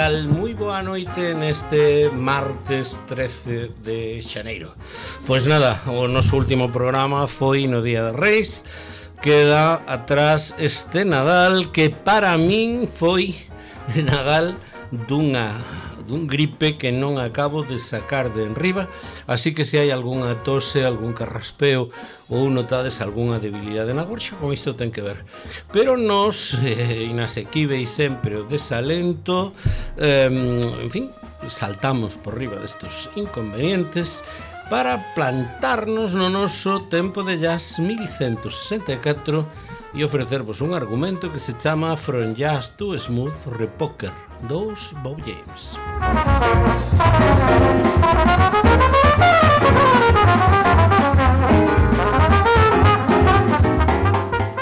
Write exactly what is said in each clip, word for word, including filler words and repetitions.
tal? Moi boa noite neste martes trece de xaneiro. Pois nada, o noso último programa foi no Día de Reis. Queda atrás este Nadal que para min foi Nadal dunha dun gripe que non acabo de sacar de enriba, así que se hai algunha tose, algún carraspeo ou notades algunha debilidade na gorxa, con isto ten que ver. Pero nos, eh, inasequíveis sempre o desalento, eh, en fin, saltamos por riba destos inconvenientes para plantarnos no noso tempo de jazz mil ciento sesenta e catro e ofrecervos un argumento que se chama From Jazz to Smooth Repoker dos Bob James.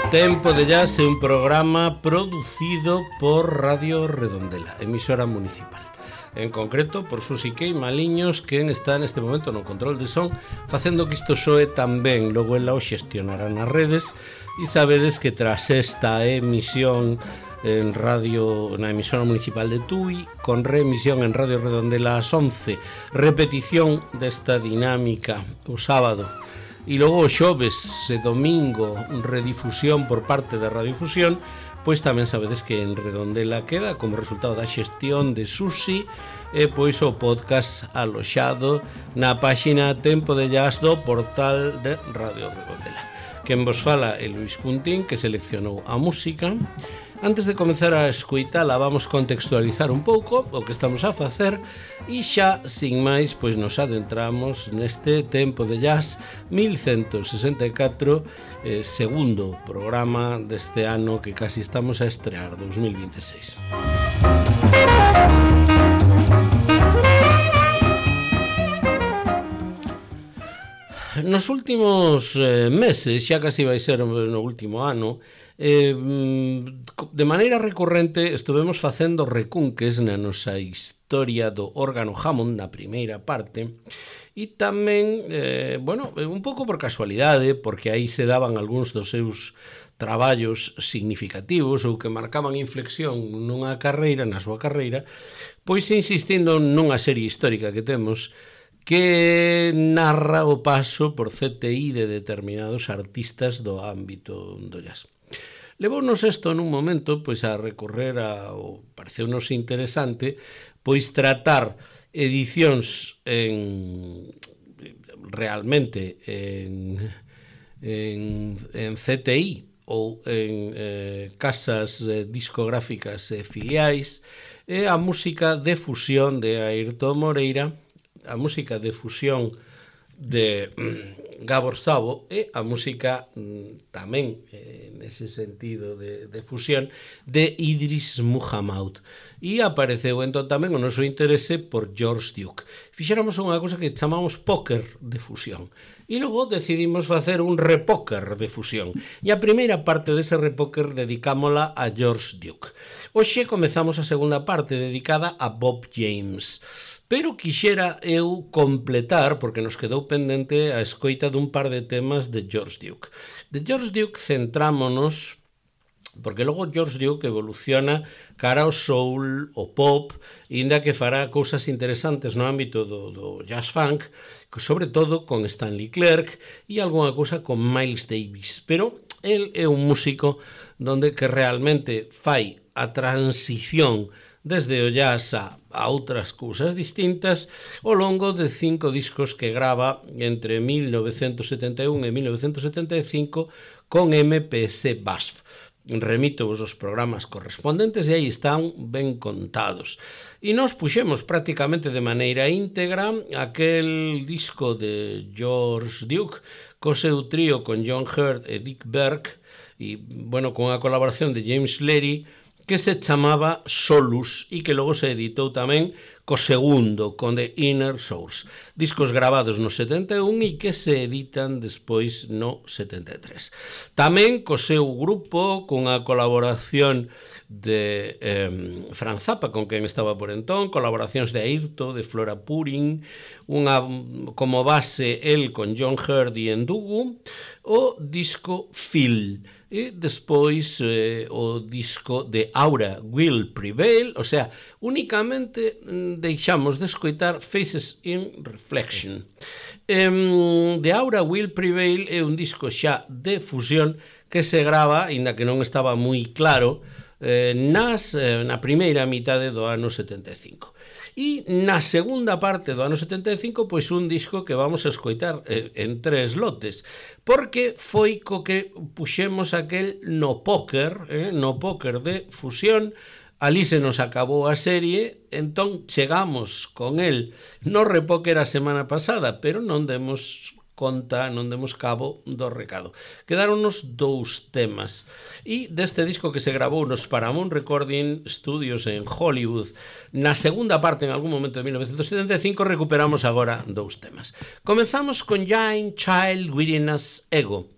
Tempo de Jazz é un programa producido por Radio Redondela, emisora municipal. En concreto, por Susi Kei Maliños, quen está neste momento no control de son, facendo que isto soe tan ben. Logo ela o xestionará nas redes. E sabedes que tras esta emisión en radio, na emisora municipal de Tui, con reemisión en Radio Redondela ás once, repetición desta dinámica o sábado, e logo o xoves e domingo redifusión por parte da Radiofusión, pois tamén sabedes que en Redondela queda como resultado da xestión de Susi e pois o podcast aloxado na páxina Tempo de Jazz do portal de Radio Redondela. Quen vos fala é Luis Cuntín, que seleccionou a música. Antes de comenzar a escoitala, vamos contextualizar un pouco o que estamos a facer e xa, sin máis, pois nos adentramos neste Tempo de Jazz mil ciento sesenta e catro, eh, segundo programa deste ano que casi estamos a estrear, dos mil vinte e seis. Nos últimos eh, meses, xa casi vai ser no último ano, eh, de maneira recurrente estuvemos facendo recunques na nosa historia do órgano Hammond na primeira parte e tamén, eh, bueno, un pouco por casualidade, porque aí se daban algúns dos seus traballos significativos ou que marcaban inflexión nunha carreira, na súa carreira, pois insistindo nunha serie histórica que temos que narra o paso por C T I de determinados artistas do ámbito do jazz. Levounos isto nun momento pois a recorrer a, o pareceunos interesante, pois tratar edicións en realmente en, en, en C T I ou en eh, casas eh, discográficas eh, filiais e a música de fusión de Airton Moreira, a música de fusión de mm, Gabor Szabo e a música mm, tamén eh, nese sentido de, de fusión de Idris Muhammad. E apareceu entón tamén o noso interese por George Duke. Fixéramos unha cousa que chamamos póker de fusión e logo decidimos facer un repóker de fusión e a primeira parte dese repóker dedicámola a George Duke. Hoxe comezamos a segunda parte dedicada a Bob James, pero quixera eu completar, porque nos quedou pendente a escoita dun par de temas de George Duke. De George Duke centrámonos, porque logo George Duke evoluciona cara ao soul, o pop, e ainda que fará cousas interesantes no ámbito do, do jazz funk, sobre todo con Stanley Clarke e algunha cousa con Miles Davis. Pero el é un músico donde que realmente fai a transición desde o jazz a, a outras cousas distintas ao longo de cinco discos que grava entre mil novecentos setenta e un e mil novecentos setenta e cinco con M P S B A S F. Remito vos os programas correspondentes e aí están ben contados. E nos puxemos prácticamente de maneira íntegra aquel disco de George Duke co seu trío con John Hurt e Dick Berg e, bueno, con a colaboración de James Leary, que se chamaba Solus e que logo se editou tamén co segundo, con The Inner Source. Discos grabados no setenta e un e que se editan despois no setenta e tres. Tamén co seu grupo, cunha colaboración de eh, Fran Zappa, con quen estaba por entón, colaboracións de Airto, de Flora Purin, unha como base el con John Hurt e Ndugu, o disco Phil, e despois eh, o disco de Aura Will Prevail, o sea, únicamente deixamos de escoitar Faces in Reflection. Eh, de Aura Will Prevail é un disco xa de fusión que se grava, inda que non estaba moi claro, eh, nas, eh, na primeira mitade do ano setenta e cinco. E na segunda parte do ano setenta e cinco, pois un disco que vamos a escoitar eh, en tres lotes, porque foi co que puxemos aquel no póker, eh, no póker de fusión. Ali se nos acabou a serie, entón chegamos con el no repóker a semana pasada, pero non demos conta, non demos cabo do recado. Quedáronos dous temas. E deste disco que se grabou nos Paramount Recording Studios en Hollywood, na segunda parte, en algún momento de mil novecentos setenta e cinco, recuperamos agora dous temas. Comenzamos con Giant Child Within Us Ego,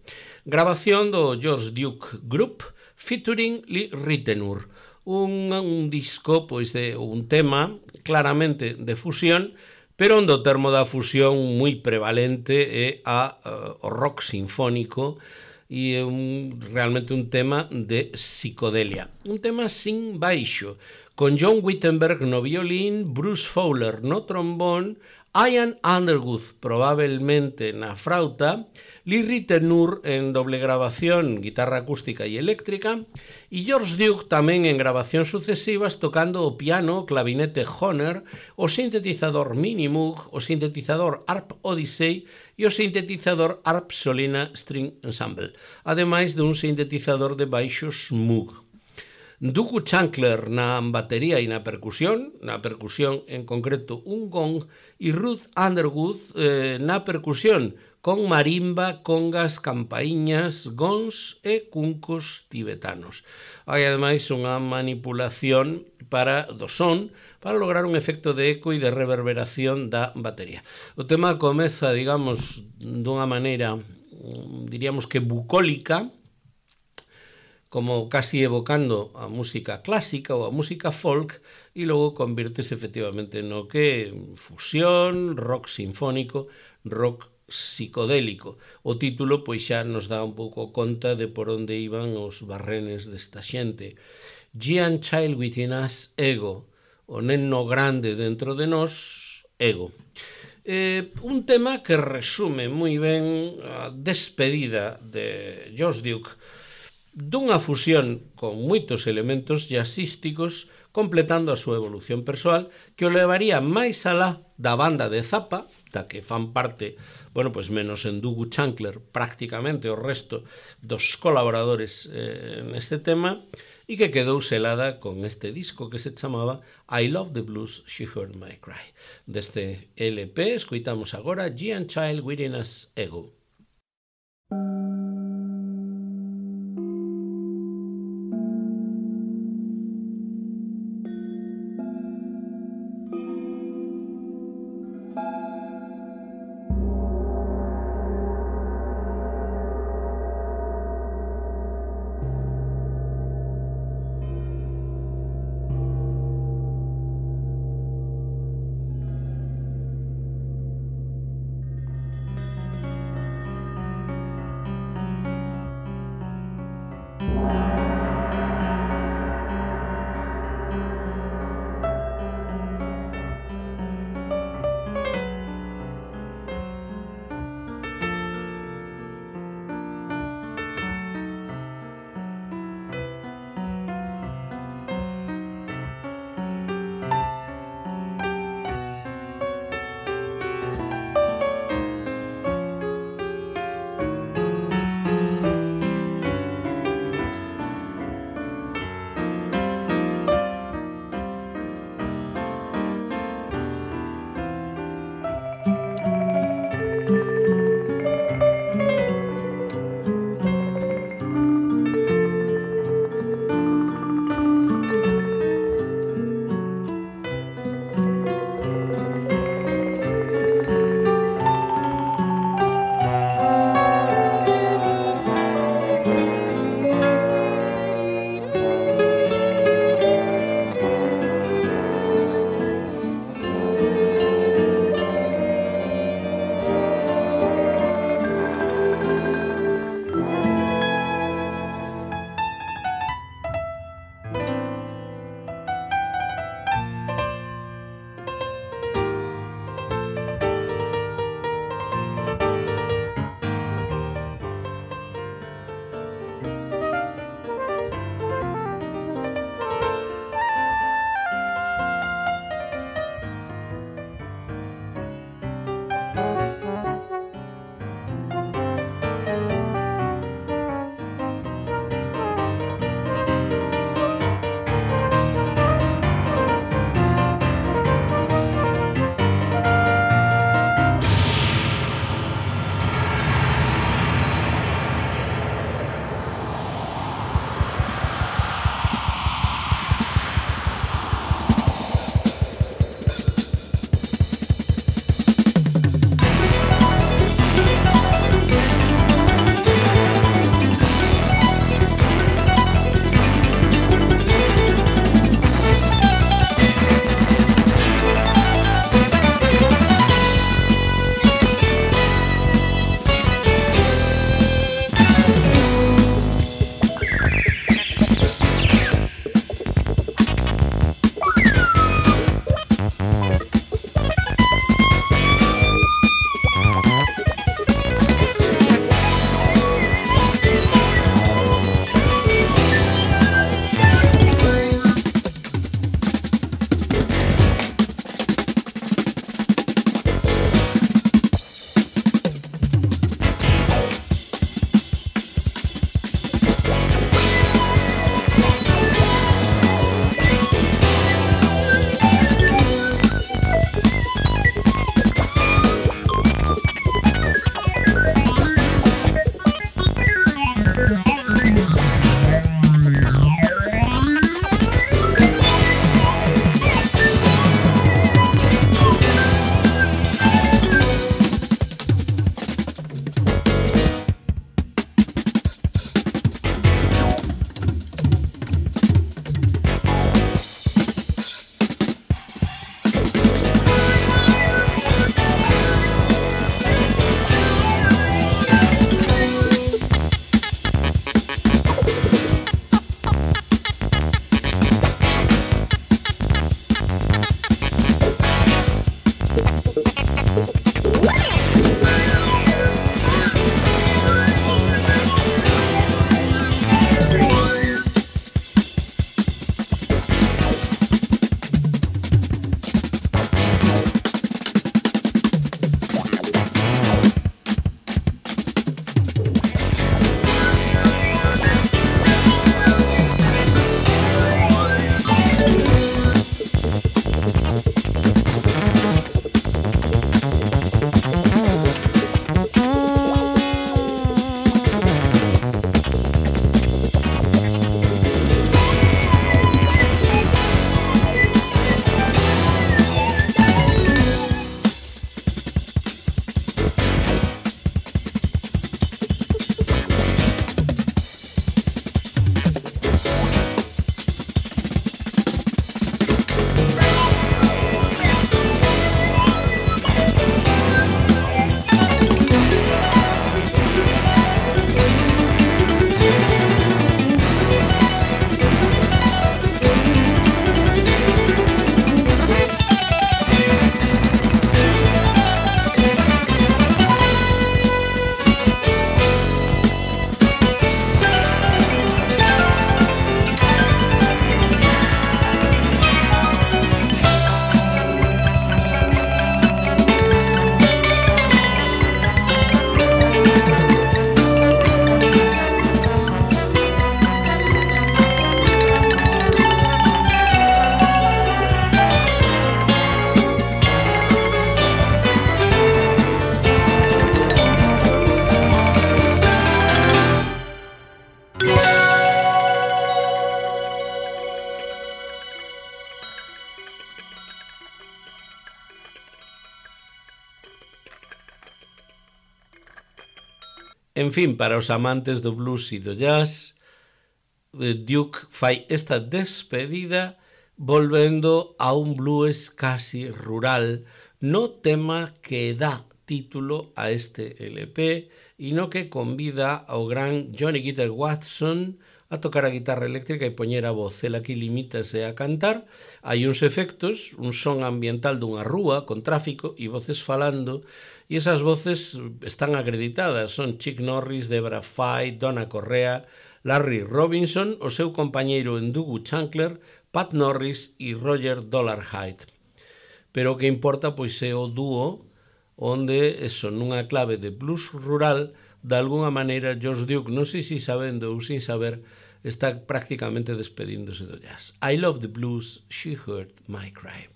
grabación do George Duke Group, featuring Lee Ritenour. Un, un disco, pois, de un tema claramente de fusión, pero onde o termo da fusión moi prevalente é a, uh, o rock sinfónico e é un, realmente un tema de psicodelia. Un tema sin baixo, con John Wittenberg no violín, Bruce Fowler no trombón, Ian Underwood probablemente na frauta, Lee Ritenour en doble grabación, guitarra acústica e eléctrica, e George Duke tamén en grabacións sucesivas tocando o piano, o clavinete Hohner, o sintetizador Minimoog, o sintetizador Harp Odyssey e o sintetizador Harp Solina String Ensemble, ademais dun sintetizador de baixos Moog. Duku Chancler na batería e na percusión, na percusión en concreto un gong, e Ruth Underwood eh, na percusión, con marimba, congas, campaíñas, gons e cuncos tibetanos. Hai ademais unha manipulación para do son para lograr un efecto de eco e de reverberación da batería. O tema comeza, digamos, dunha maneira, diríamos que bucólica, como casi evocando a música clásica ou a música folk, e logo convírtese efectivamente no que fusión, rock sinfónico, rock psicodélico. O título pois xa nos dá un pouco conta de por onde iban os barrenes desta xente. Giant Child Within Us Ego, o neno grande dentro de nós, ego. Eh, un tema que resume moi ben a despedida de George Duke, dunha fusión con moitos elementos jazzísticos, completando a súa evolución persoal, que o levaría máis alá da banda de Zappa, da que fan parte, bueno, pois menos en Duku Chancler, prácticamente o resto dos colaboradores eh, neste tema, e que quedou selada con este disco que se chamaba I Love the Blues, She Heard My Cry. Deste L P escoitamos agora Giant Child Within Us Ego. En fin, para os amantes do blues e do jazz, Duke fai esta despedida volvendo a un blues casi rural no tema que dá título a este L P e no que convida ao gran Johnny Guitar Watson a tocar a guitarra eléctrica e poñer a voz. El aquí limítase a cantar. Hai uns efectos, un son ambiental dunha rúa con tráfico e voces falando, e esas voces están acreditadas. Son Chick Norris, Debra Fay, Donna Correa, Larry Robinson, o seu compañeiro Ndugu Chancler, Pat Norris e Roger Dollarhide. Pero o que importa pois é o dúo onde, eso, nunha clave de blues rural, de alguna maneira, George Duke, non sei se sabendo ou sin saber, está prácticamente despedíndose do jazz. I love the blues, she heard my cry.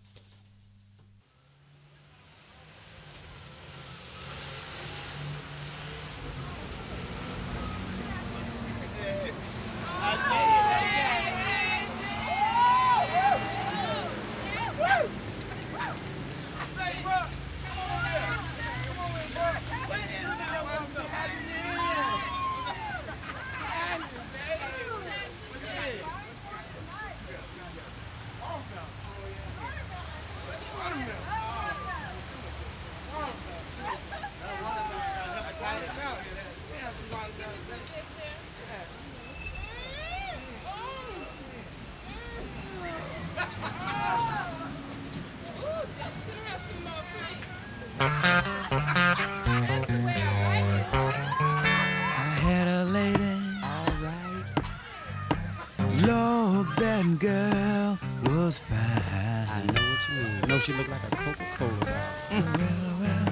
She looked like a Coca-Cola. Mm. Well, well,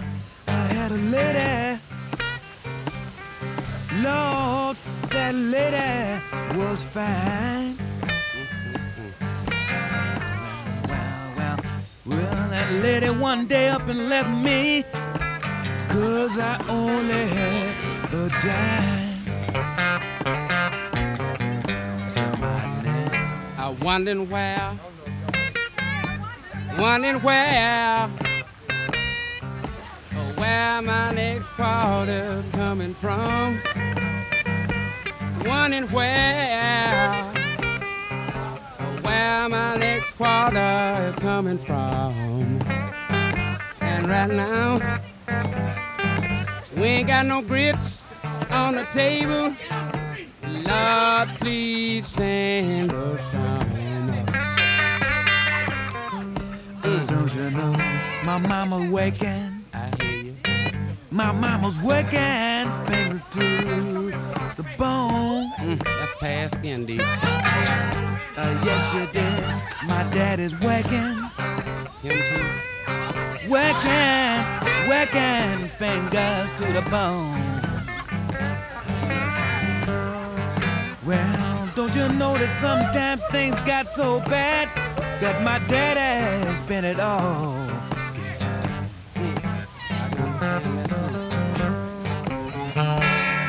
I had a lady. Lord, that lady was fine. Well, well, well, well, that lady one day up and left me, 'cause I only had a dime. Tell my name. I wondered where. Wondering where, where my next quarter's coming from. Wondering where, where my next quarter is coming from. And right now, we ain't got no grits on the table. Lord, please send us some. Don't you know my mama's working? I hear you. My mama's working, fingers to the bone. Mm, that's past skin deep. Uh, yes, you did. My daddy's working. Him too. Working, working, fingers to the bone. Uh, yes, I did. Well, don't you know that sometimes things got so bad that my daddy spent it all? Mm, I can understand that too.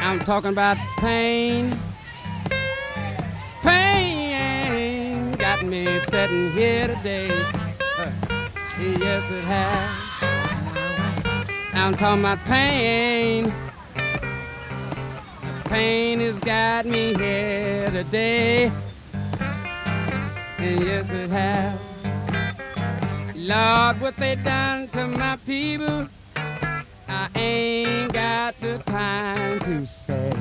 I'm talking about pain. Pain got me sitting here today. Uh, yes, it has. I'm talking about pain. Pain has got me here today. And yes, it has. Lord, what they done to my people, I ain't got the time to say.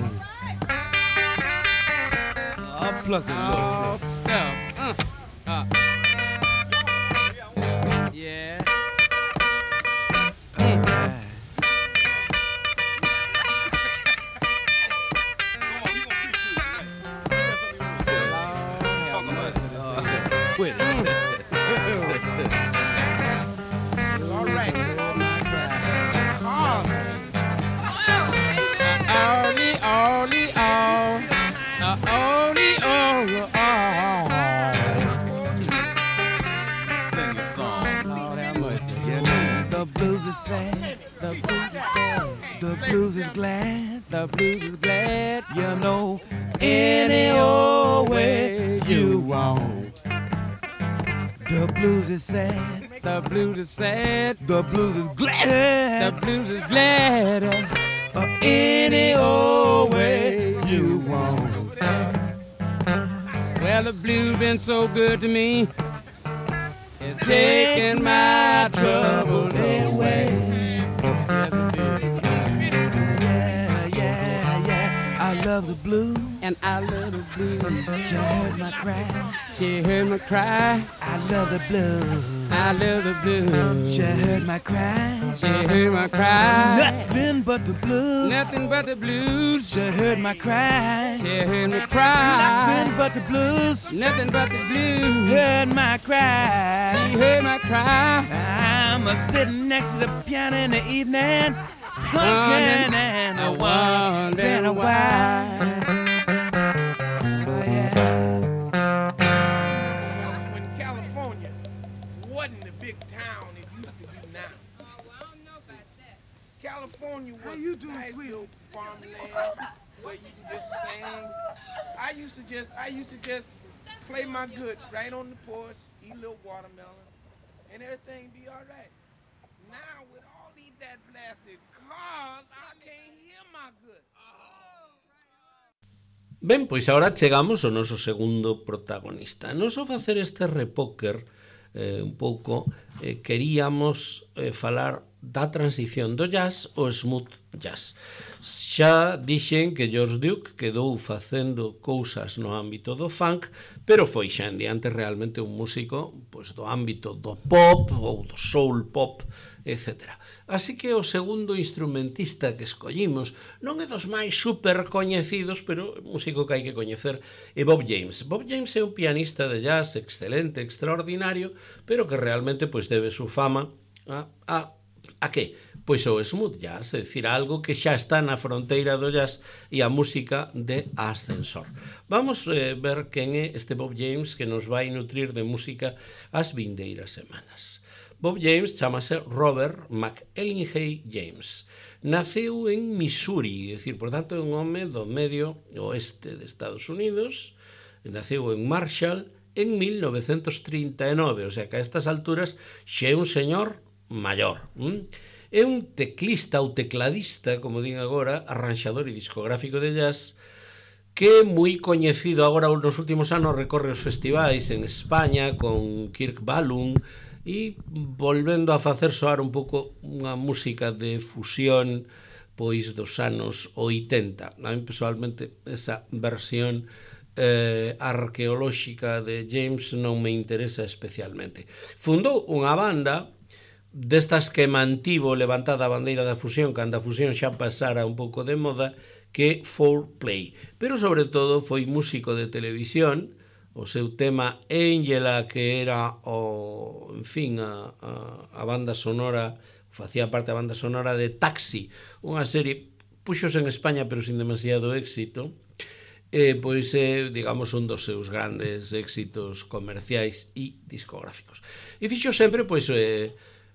I'll pluck it a little Oh, bit. stuff. Uh, uh. Yeah. All right. Quit it. All right. Only, only, all. Uh, only, oh, oh. Sing a song. Lord have mercy. You know, the blues is sad. The blues is sad. The blues is glad. The blues is glad. You know, any old way you want. The blues is sad. The blues is sad. The blues is glad. The blues is glad. or any old way you want. Well, the blues been so good to me, it's taking my troubles away. Yeah, yeah, yeah, I love the blues. And I love the blues. She heard my cry. She heard me cry. I love the blues. I love the blues. She heard my cry. She heard my cry. Nothing but the blues. Nothing but the blues. She heard my cry. She heard me cry. Nothing but the blues. Nothing but the blues. Heard my cry. She heard my cry. I'm a sitting next to the piano in the evening, looking and a wondering why. Oh, yeah. When California wasn't the big town it used to be now. California was you doing, a nice sweetie? little farmland where you could just sing. I used to just, I used to just play my good right on the porch, eat a little watermelon, and everything be all right. Now with all these that blasted cars, I can't hear my good. Ben, pois agora chegamos ao noso segundo protagonista. Nos ao facer este repóker eh, un pouco, eh, queríamos eh, falar da transición do jazz ao smooth jazz. Xa dixen que George Duke quedou facendo cousas no ámbito do funk, pero foi xa en diante realmente un músico pois, do ámbito do pop ou do soul pop, etcétera. Así que o segundo instrumentista que escollimos non é dos máis super coñecidos, pero músico que hai que coñecer, é Bob James. Bob James é un pianista de jazz excelente, extraordinario, pero que realmente pois debe su fama a, a, a que? Pois o smooth jazz, é dicir, algo que xa está na fronteira do jazz e a música de ascensor. Vamos eh, ver quen é este Bob James que nos vai nutrir de música as vindeiras semanas. Bob James chamase Robert McElhenney James. Naceu en Missouri, é dicir, por tanto, é un home do medio oeste de Estados Unidos. Naceu en Marshall en mil novecentos trinta e nove, o sea que a estas alturas xa é un señor maior. ¿Mm? É un teclista ou tecladista, como din agora, arranxador e discográfico de jazz, que é moi coñecido agora nos últimos anos, recorre os festivais en España con Kirk Whalum e volvendo a facer soar un pouco unha música de fusión pois dos anos oitenta. A mí personalmente esa versión eh, arqueolóxica de James non me interesa especialmente. Fundou unha banda destas que mantivo levantada a bandeira da fusión cando a fusión xa pasara un pouco de moda, que four play, pero sobre todo foi músico de televisión. O seu tema Angela, que era o, en fin, a, a, a banda sonora, facía parte da banda sonora de Taxi, unha serie puxos en España pero sin demasiado éxito, eh, pois é, eh, digamos, un dos seus grandes éxitos comerciais e discográficos. E fixo sempre, pois, eh,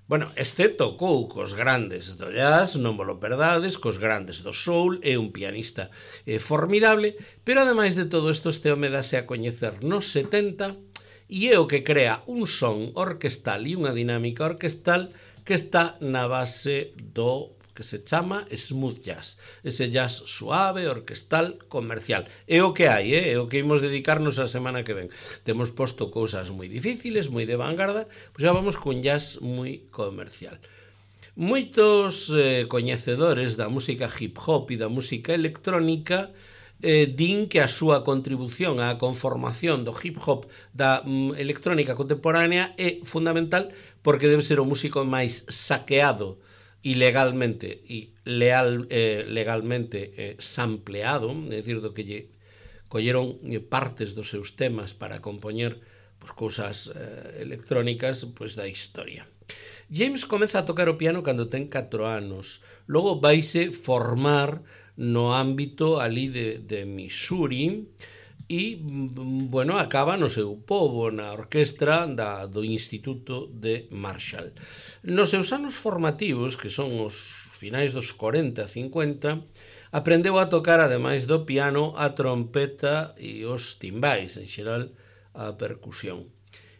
bueno, este tocou cos grandes do jazz, non vos lo perdades, cos grandes do soul, é un pianista eh, formidable, pero ademais de todo isto, este home dase a coñecer nos setenta e é o que crea un son orquestal e unha dinámica orquestal que está na base do que se chama smooth jazz, ese jazz suave, orquestal, comercial. É o que hai, eh? É o que imos dedicarnos a semana que ven. Temos posto cousas moi difíciles, moi de vanguarda, pois xa vamos con jazz moi comercial. Moitos eh, coñecedores da música hip hop e da música electrónica eh, din que a súa contribución á conformación do hip hop da mm, electrónica contemporánea é fundamental porque debe ser o músico máis saqueado ilegalmente e leal, eh, legalmente eh, sampleado, é dicir, do que lle colleron eh, partes dos seus temas para compoñer pues, cousas eh, electrónicas pues, da historia. James comeza a tocar o piano cando ten catro anos, logo vaise formar no ámbito ali de, de Missouri e, bueno, acaba no seu pobo, na orquestra da, do Instituto de Marshall. Nos seus anos formativos, que son os finais dos corenta, cincuenta, aprendeu a tocar, ademais do piano, a trompeta e os timbais, en xeral, a percusión.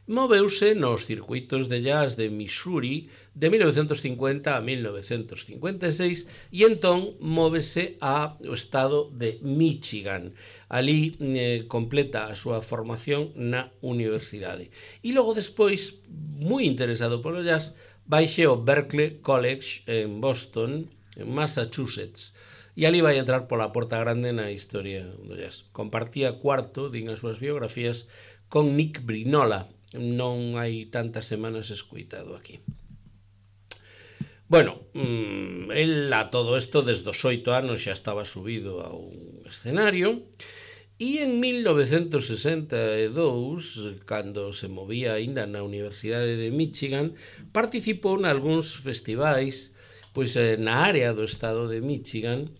moveuse nos circuitos de jazz de Missouri de mil novecientos cincuenta a mil novecientos cincuenta e seis e entón móvese ao estado de Michigan. Ali eh, completa a súa formación na universidade. E logo despois, moi interesado polo jazz, baixe ao Berklee College en Boston, en Massachusetts, e ali vai entrar pola porta grande na historia do jazz. Compartía cuarto, din as súas biografías, con Nick Brinola. Non hai tantas semanas escoitado aquí. Bueno, mmm, el a todo isto desde os oito anos xa estaba subido a un escenario e en mil novecientos sesenta e dous, cando se movía aínda na Universidade de Michigan, participou nalgúns festivais pois na área do estado de Michigan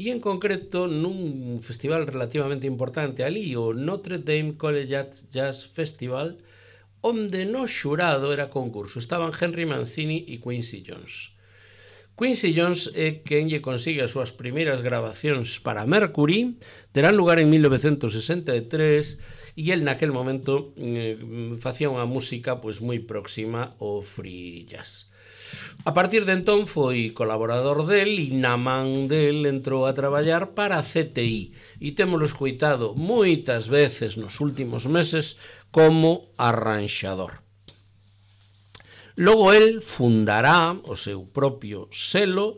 e en concreto nun festival relativamente importante ali, o Notre Dame Collegiate Jazz Festival, onde no xurado era concurso. Estaban Henry Mancini e Quincy Jones. Quincy Jones é quen lle consigue as súas primeiras grabacións para Mercury, terán lugar en mil novecientos sesenta e tres, e el naquel momento eh, facía unha música pois moi próxima ao free jazz. A partir de entón foi colaborador del e na man del entrou a traballar para a C T I e témolo escoitado moitas veces nos últimos meses como arranxador. Logo el fundará o seu propio selo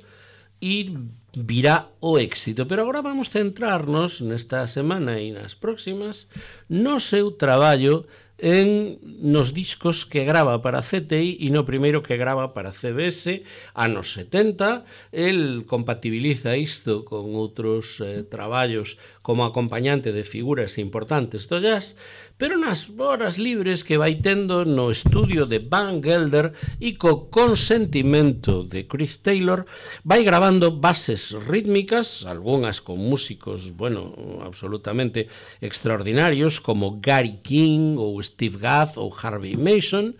e virá o éxito, pero agora vamos centrarnos nesta semana e nas próximas no seu traballo en nos discos que grava para C T I e no primeiro que grava para C B S anos setenta. El compatibiliza isto con outros eh, traballos como acompañante de figuras importantes do jazz, pero nas horas libres que vai tendo no estudio de Van Gelder e co consentimento de Chris Taylor vai gravando bases rítmicas, algunhas con músicos, bueno, absolutamente extraordinarios como Gary King ou Steve Gadd ou Harvey Mason,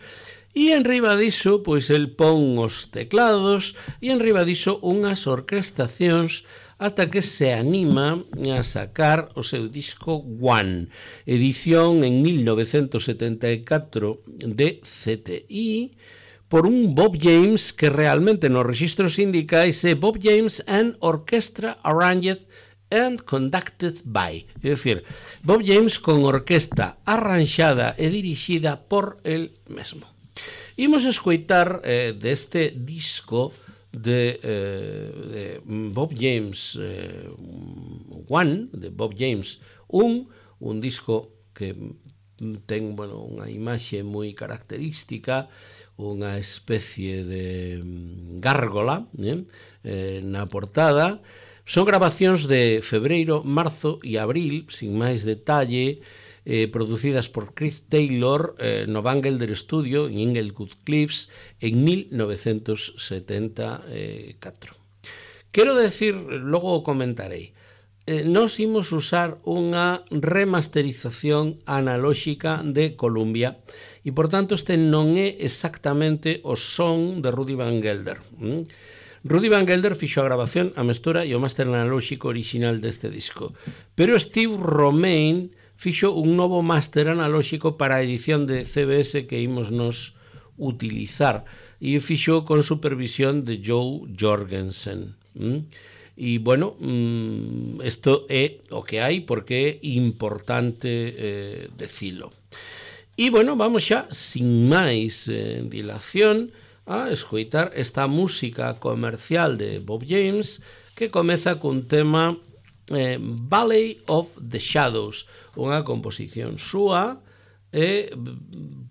e enriba diso, pois el pon os teclados e enriba diso unhas orquestacións ata que se anima a sacar o seu disco One, edición en mil novecientos setenta e catro de C T I, por un Bob James que realmente nos registros sindicais é Bob James and Orchestra Arranged and Conducted by, é dicir, Bob James con orquesta arranxada e dirixida por el mesmo. Imos escoitar eh, deste disco de, eh, de Bob James eh, One, de Bob James un, un disco que ten, bueno, unha imaxe moi característica, unha especie de gárgola eh, eh, na portada. Son grabacións de febreiro, marzo e abril, sin máis detalle, eh, producidas por Chris Taylor eh, no Van Gelder Studio en Inglewood Cliffs en mil novecientos setenta e catro. Quero decir, logo o comentarei, eh, nos imos usar unha remasterización analóxica de Columbia e, por tanto, este non é exactamente o son de Rudy Van Gelder. ¿Mm? Rudy Van Gelder fixo a grabación, a mestura e o máster analóxico original deste disco, pero Steve Romain fixo un novo máster analóxico para a edición de C B S que imos nos utilizar e fixo con supervisión de Joe Jorgensen. ¿Mm? E, bueno, isto é o que hai porque é importante eh, decilo. E, bueno, vamos xa, sin máis eh, dilación, a escoitar esta música comercial de Bob James que comeza cun tema eh, Valley of the Shadows, unha composición súa e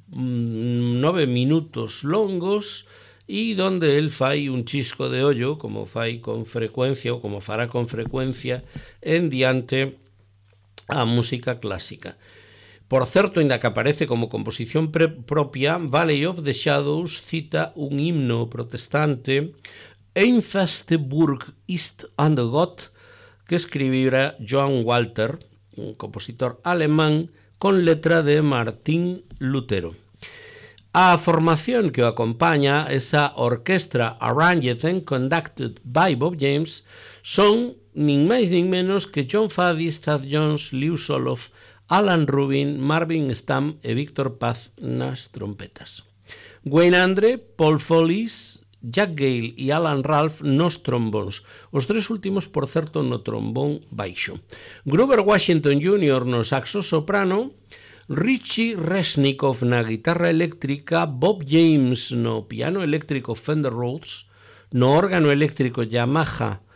nove minutos longos e donde el fai un chisco de ollo como fai con frecuencia ou como fará con frecuencia en diante a música clásica. Por certo, ainda que aparece como composición propia, Valley of the Shadows cita un himno protestante, Einfasteburg ist an der Gott, que escribira Johann Walter, un compositor alemán, con letra de Martín Lutero. A formación que o acompaña, esa orquestra Arranged and Conducted by Bob James, son nin máis nin menos que John Faddy, Thad Jones, Lew Soloff, Alan Rubin, Marvin Stamm e Víctor Paz nas trompetas. Wayne Andre, Paul Follis, Jack Gale e Alan Ralph nos trombóns, os tres últimos, por certo, no trombón baixo. Grover Washington júnior no saxo soprano, Richie Resnikov na guitarra eléctrica, Bob James no piano eléctrico Fender Rhodes, no órgano eléctrico Yamaha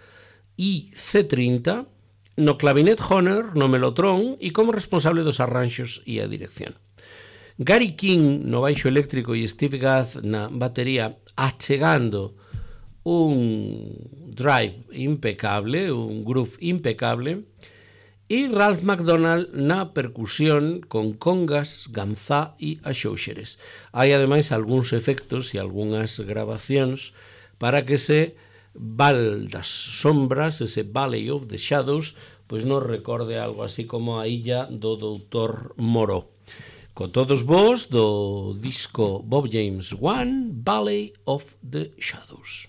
I C trinta, no clavinet Hohner, no melotrón e como responsable dos arranxos e a dirección. Gary King no baixo eléctrico e Steve Gadd na batería, achegando un drive impecable, un groove impecable, e Ralph McDonald na percusión con congas, ganzá e axóuxeres. Hai ademais algúns efectos e algunhas grabacións para que ese Val das Sombras, ese Valley of the Shadows, pois nos recorde algo así como a illa do doutor Moreau. Con todos vos do disco Bob James One, Valley of the Shadows.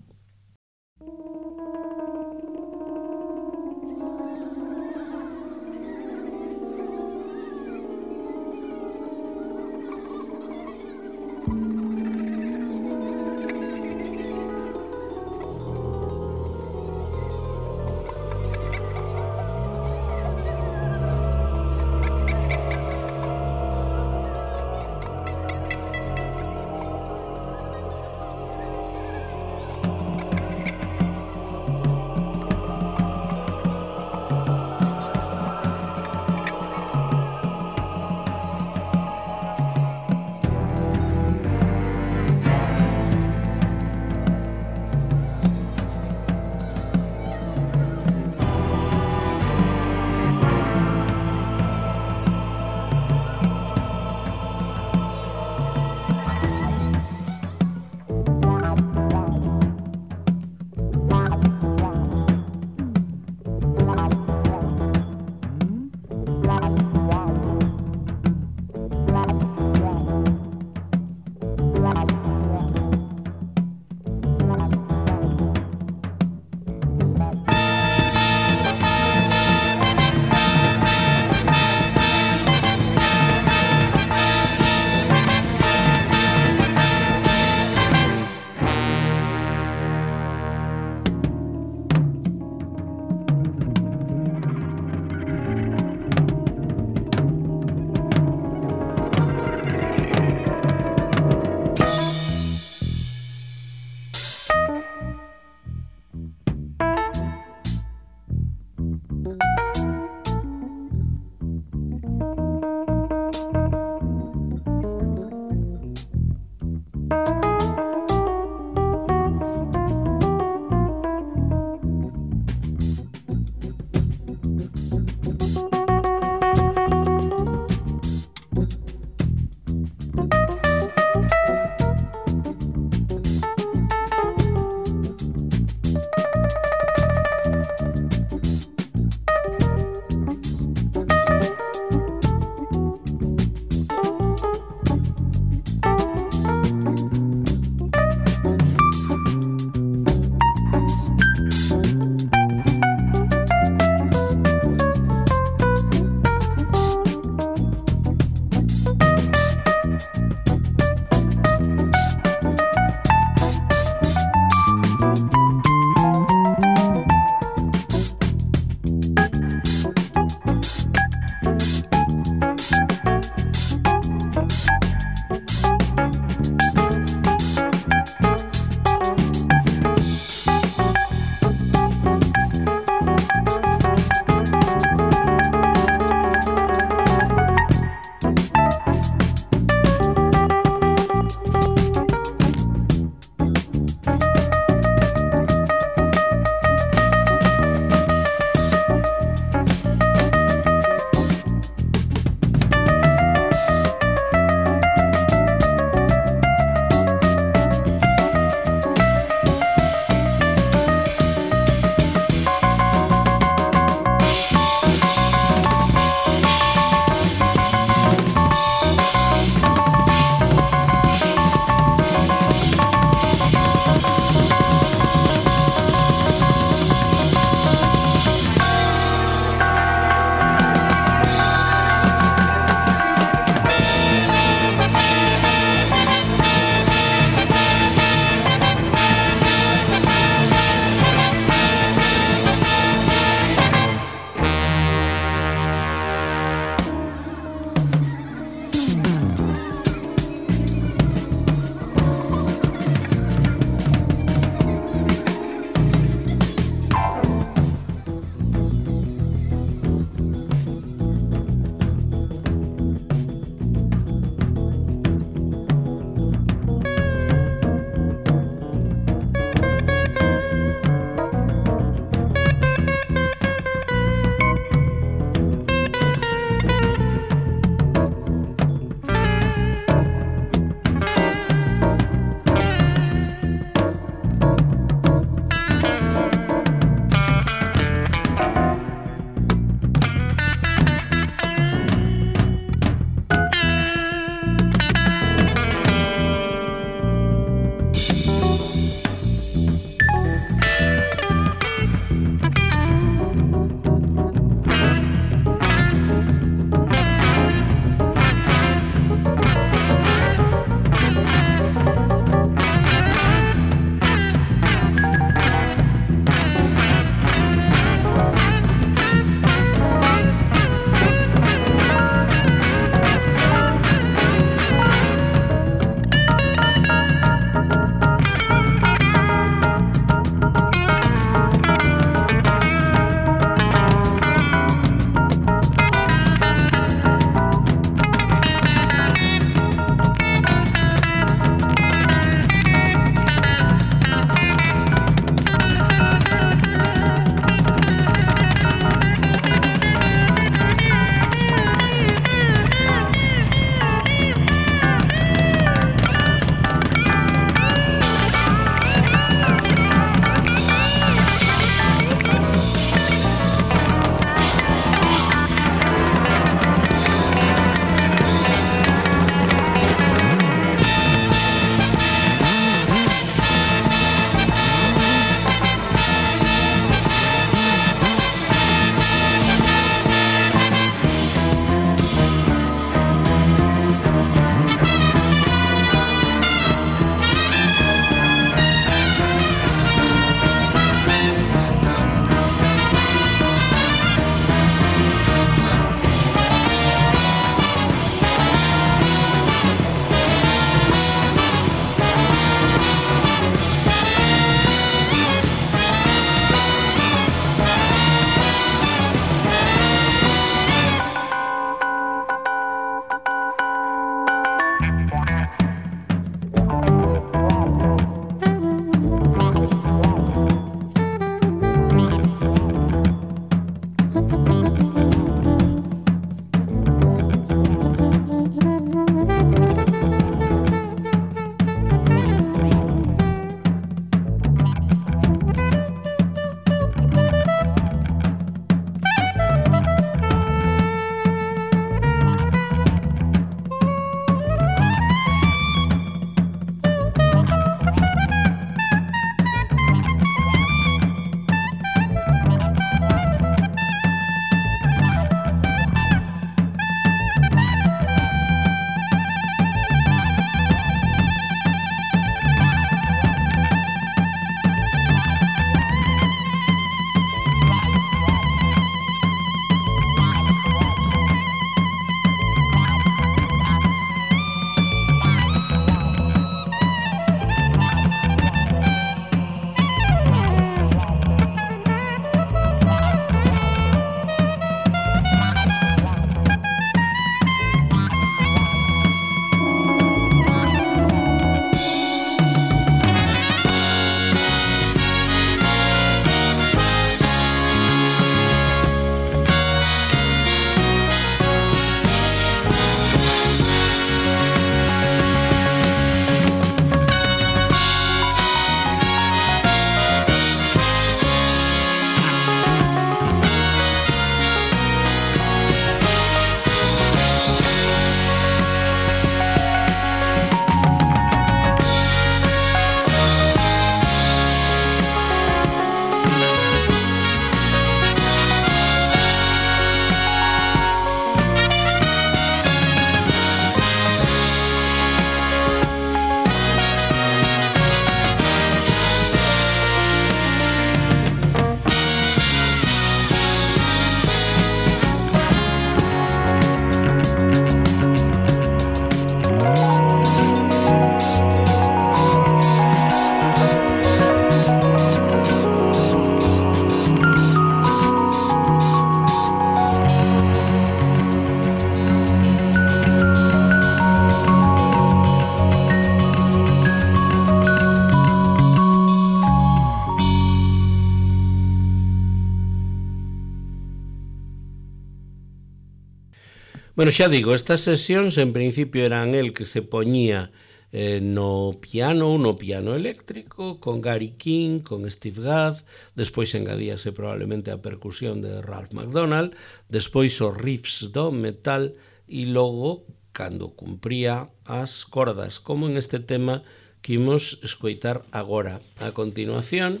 Bueno, xa digo, estas sesións en principio eran el que se poñía eh, no piano, no piano eléctrico, con Gary King, con Steve Gadd, despois engadíase probablemente a percusión de Ralph McDonald, despois os riffs do metal e logo, cando cumpría as cordas, como en este tema que imos escoitar agora a continuación,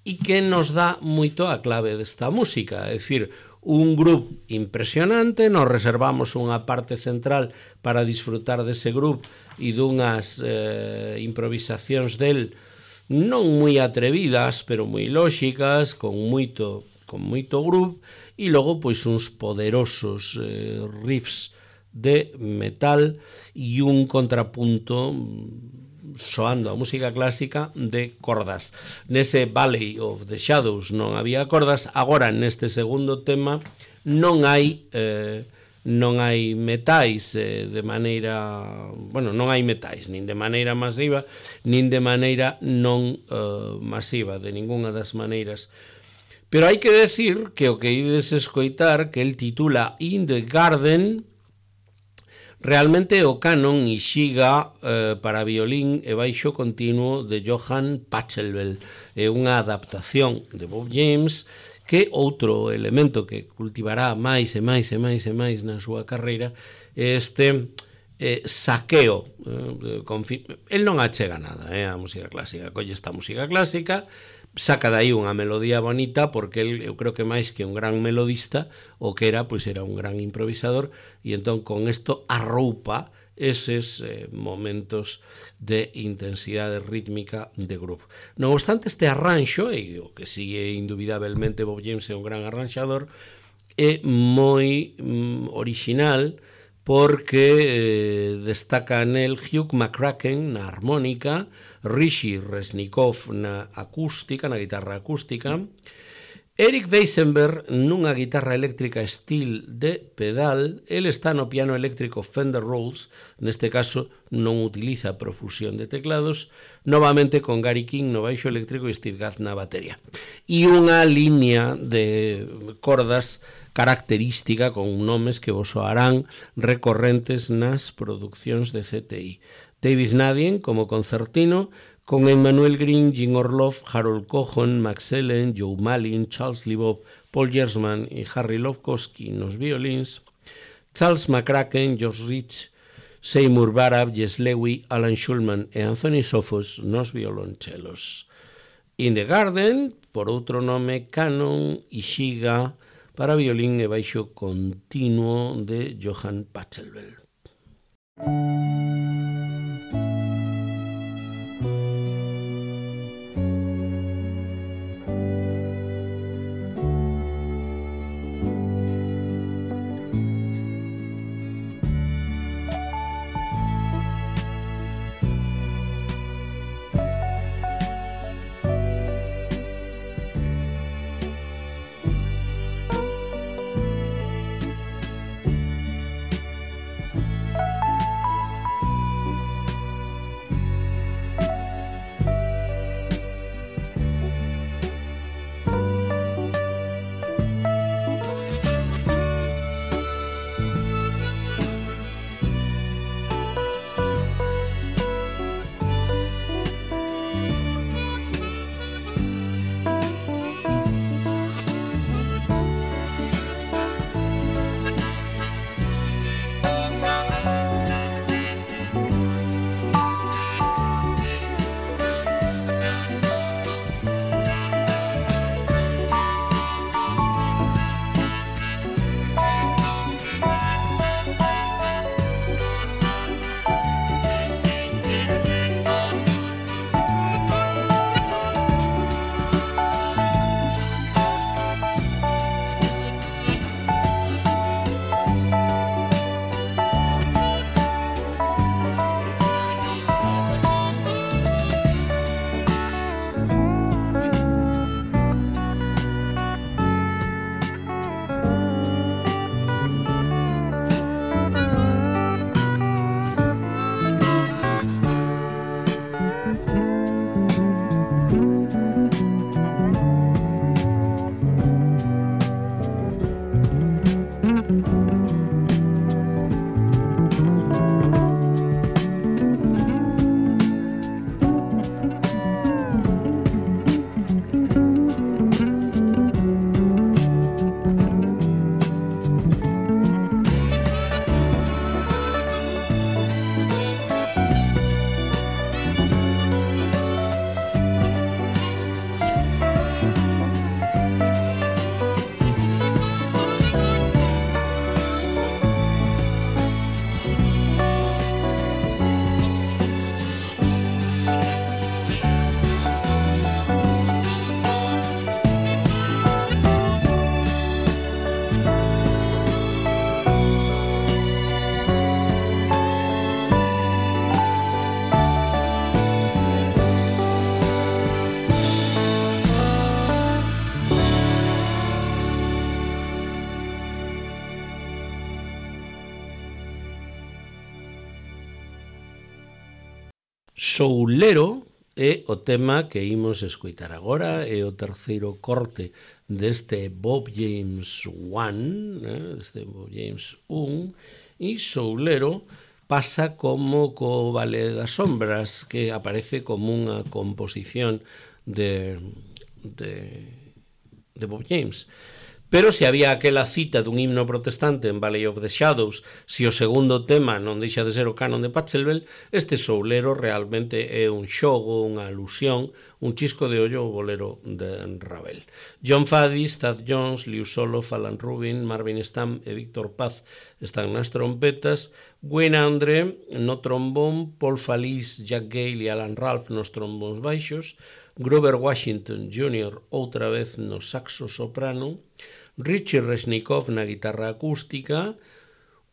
e que nos dá moito a clave desta música, é dicir, un grupo impresionante, nos reservamos unha parte central para disfrutar dese grupo e dunhas eh, improvisacións del non moi atrevidas, pero moi lóxicas, con moito, con moito groove, e logo pois uns poderosos eh, riffs de metal e un contrapunto soando a música clásica de cordas. Nese Valley of the Shadows non había cordas, agora neste segundo tema non hai eh, non hai metais eh, de maneira, bueno, non hai metais nin de maneira masiva, nin de maneira non eh, masiva, de ningunha das maneiras. Pero hai que decir que o que ides escoitar, que el titula In the Garden, realmente o canon Ishiga eh, para violín e baixo continuo de Johann Pachelbel. É unha adaptación de Bob James, que outro elemento que cultivará máis e máis e máis e máis na súa carreira é este eh, saqueo. Eh, el non achega nada eh, a música clásica, colle esta música clásica, saca de aí unha melodía bonita, porque el, eu creo que máis que un gran melodista, o que era, pois era un gran improvisador, e entón con isto arroupa eses eh, momentos de intensidade rítmica de groove. Non obstante, este arranxo, e o que sigue indubidablemente Bob James é un gran arranxador, é moi mm, original, porque eh, destaca nel Hugh McCracken na armónica, Rishi Resnikov na acústica, na guitarra acústica, Eric Weisenberg nunha guitarra eléctrica estilo de pedal, el está no piano eléctrico Fender Rhodes, neste caso non utiliza profusión de teclados, novamente con Gary King no baixo eléctrico e Steve Gadd na batería. E unha liña de cordas característica con nomes que vos soarán recorrentes nas produccións de C T I. David Nadien como concertino, con Emmanuel Green, Jim Orloff, Harold Cohen, Max Ellen, Joe Malin, Charles Leboeuf, Paul Gersman e Harry Lovkowski nos violins, Charles McCracken, George Rich, Seymour Barab, Jess Lewy, Alan Schulman e Anthony Sophos nos violonchelos. In the Garden, por outro nome, Canon Ishiga, para violín e baixo continuo de Johann Pachelbel. Soulero é o tema que imos escoitar agora, é o terceiro corte deste Bob James one, eh, este Bob James one, e Soulero pasa como co Vale das Sombras, que aparece como unha composición de, de, de Bob James. Pero se había aquela cita dun himno protestante en Valley of the Shadows, se o segundo tema non deixa de ser o canon de Pachelbel, este Soulero realmente é un xogo, unha alusión, un chisco de ollo ao bolero de Ravel. John Faddis, Thad Jones, Liu Soloff, Alan Rubin, Marvin Stamm e Víctor Paz están nas trompetas, Wayne Andre no trombón, Paul Falis, Jack Gale e Alan Ralph nos trombóns baixos, Grover Washington júnior outra vez no saxo soprano, Richie Resnikov na guitarra acústica,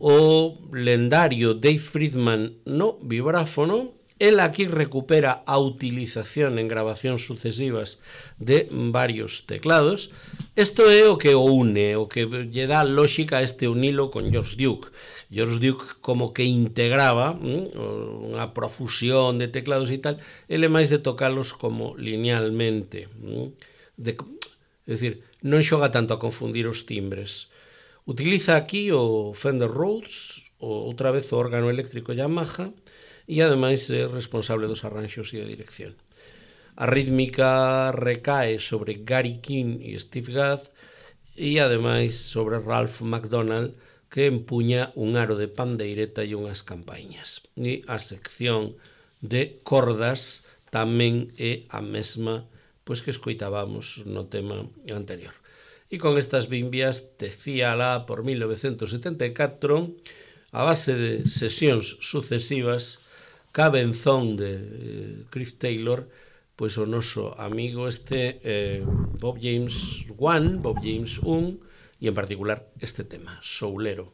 o lendario Dave Friedman no vibráfono. El aquí recupera a utilización en grabacións sucesivas de varios teclados. Isto é o que o une, o que lle dá lógica a este unilo con George Duke. George Duke como que integraba mm, unha profusión de teclados e tal, ele máis de tocalos como linealmente. Mm, de, é dicir, non xoga tanto a confundir os timbres. Utiliza aquí o Fender Rhodes, o, outra vez o órgano eléctrico Yamaha, e ademais é responsable dos arranxos e da dirección. A rítmica recae sobre Gary King e Steve Gadd e ademais sobre Ralph McDonald, que empuña un aro de pandeireta e unhas campañas. E a sección de cordas tamén é a mesma pois que escoitábamos no tema anterior. E con estas bimbias tecía lá por mil novecentos setenta e catro, a base de sesións sucesivas, cabenzón de eh, Chris Taylor, pois o noso amigo este eh, Bob James one, Bob James one, e en particular este tema, Soulero.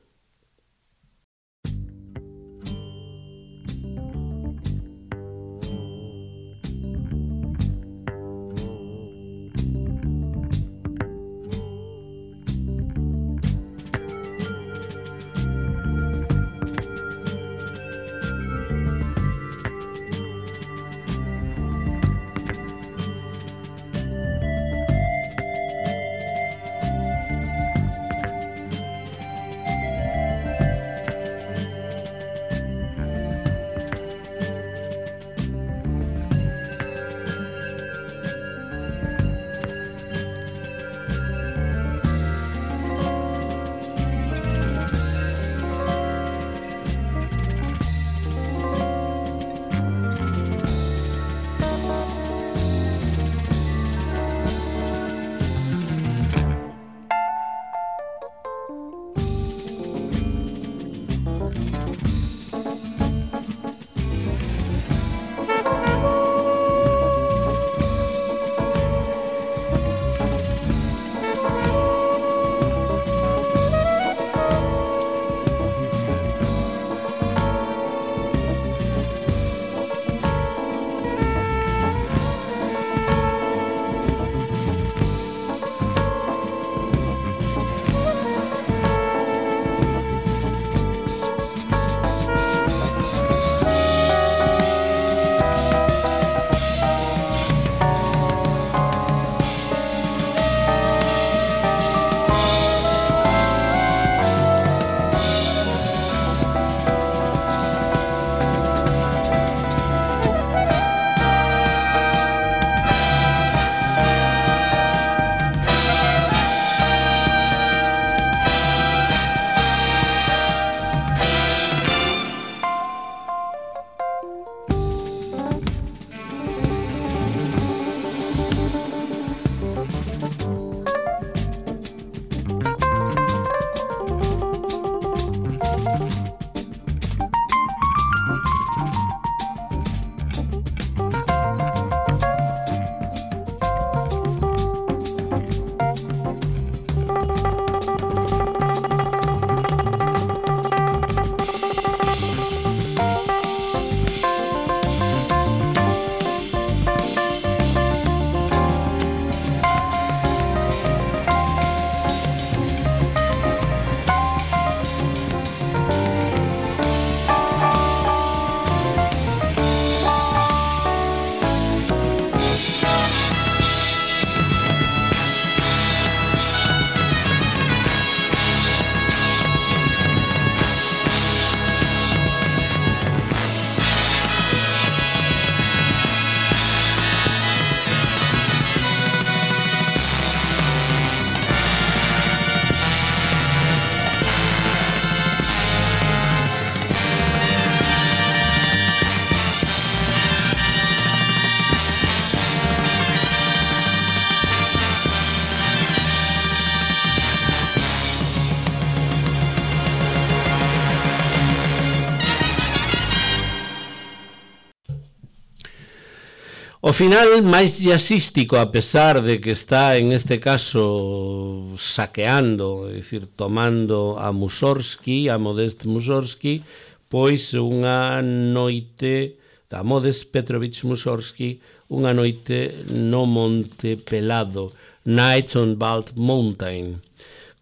O final máis jazzístico, a pesar de que está en este caso saqueando, é dicir, tomando a Mussorgsky, a Modest Mussorgsky, pois unha noite da Modest Petrovich Mussorgsky, unha noite no Monte Pelado, Night on Bald Mountain,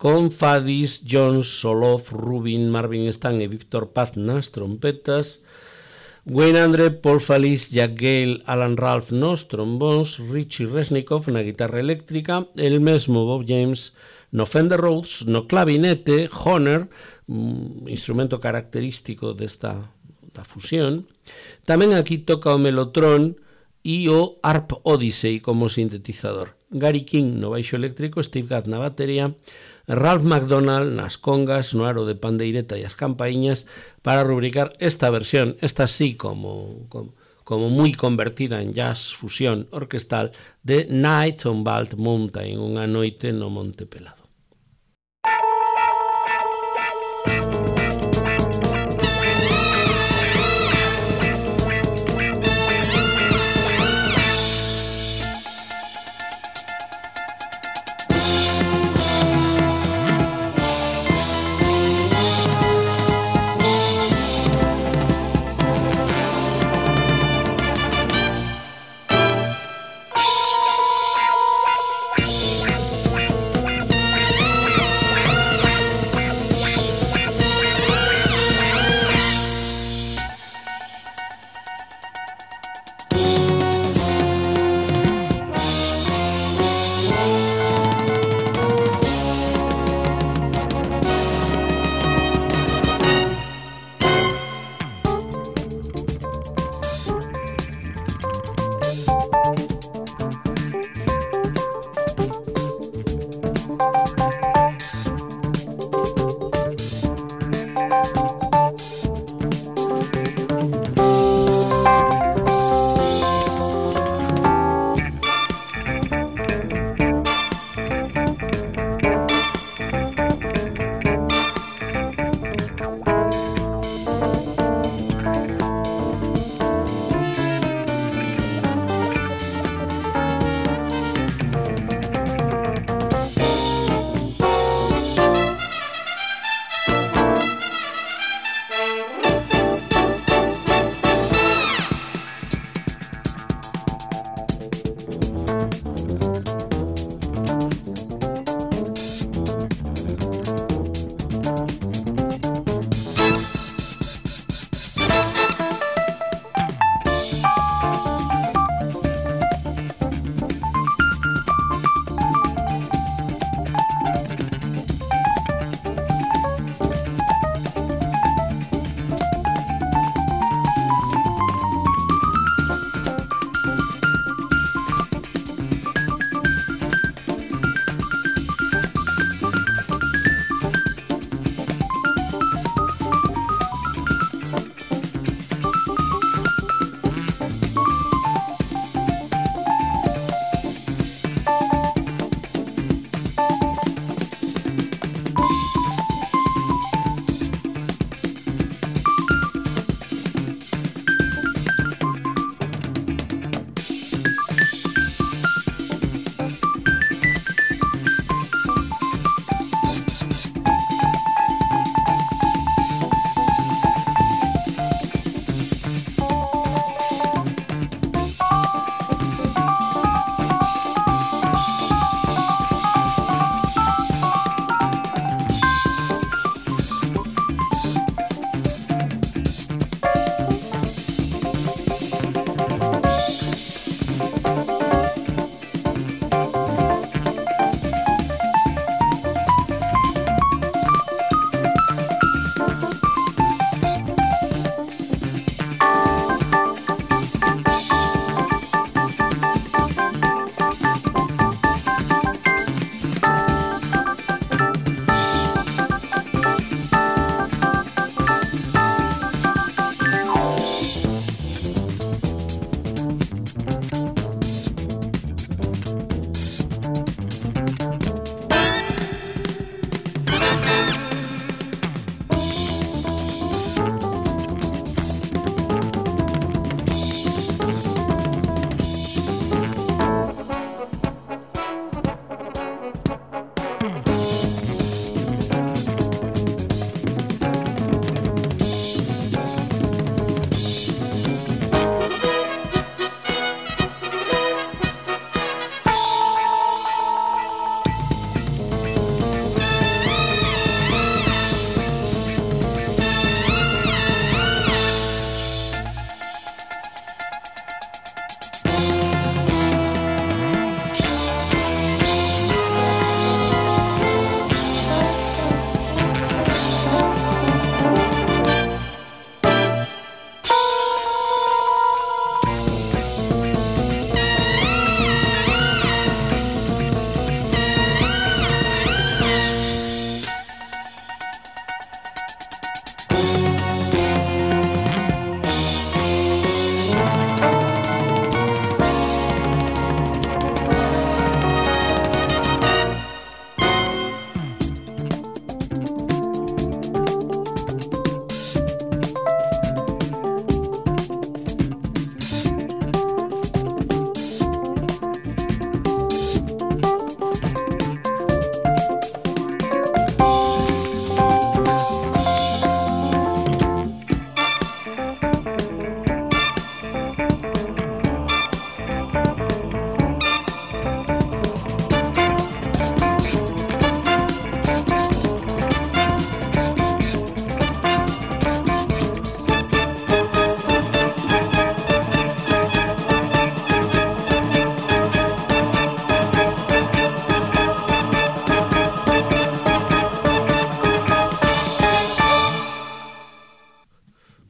con Fadis, Jones, Soloff, Rubin, Marvin Stan e Víctor Paz nas trompetas, Wayne Andre, Paul Falis, Jack Gale, Alan Ralph nos trombóns, Richie Resnikov na guitarra eléctrica, el mesmo Bob James no Fender Rhodes, no clavinete, Honer, un instrumento característico desta da fusión. Tamén aquí toca o Mellotron e o Harp Odyssey como sintetizador. Gary King no baixo eléctrico, Steve Gadd na batería, Ralph McDonald nas congas, no aro de pandeireta e as campaíñas para rubricar esta versión, esta sí como, como, como moi convertida en jazz fusión orquestal de Night on Bald Mountain, unha noite no Monte Pelado.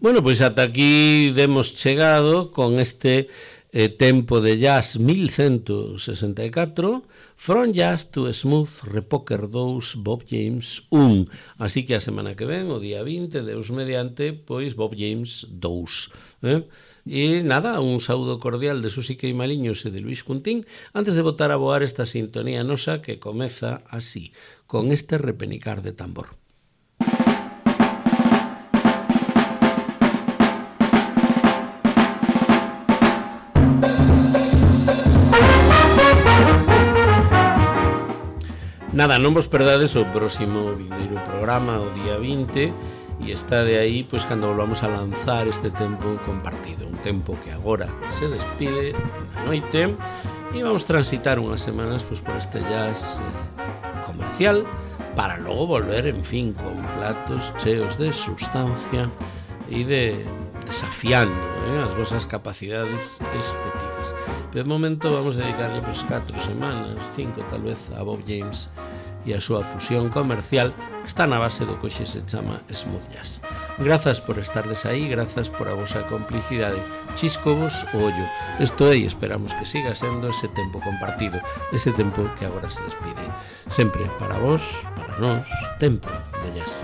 Bueno, pois ata aquí demos chegado con este eh, tempo de jazz mil ciento sesenta e catro, From Jazz to Smooth, Repoker dous, Bob James un. Así que a semana que ven, o día vinte, Deus mediante, pois Bob James dous. Eh? E nada, un saúdo cordial de Susi Queimaliños e de Luis Cuntín antes de botar a voar esta sintonía nosa que comeza así, con este repenicar de tambor. Nada, non vos perdades o próximo vindeiro programa, o día vinte, e está de aí, pois, cando volvamos a lanzar este tempo compartido, un tempo que agora se despide na noite, e vamos transitar unhas semanas, pois, por este jazz eh, comercial, para logo volver, en fin, con platos cheos de substancia e de desafiando eh, as vosas capacidades estéticas. Pero de momento vamos a dedicarle pois catro semanas, cinco tal vez, a Bob James e a súa fusión comercial que está na base do que hoxe se chama smooth jazz. Grazas por estardes aí, grazas por a vosa complicidade. Chiscovos o ollo. Isto é, e esperamos que siga sendo ese tempo compartido, ese tempo que agora se despide. Sempre para vos, para nós, tempo de jazz.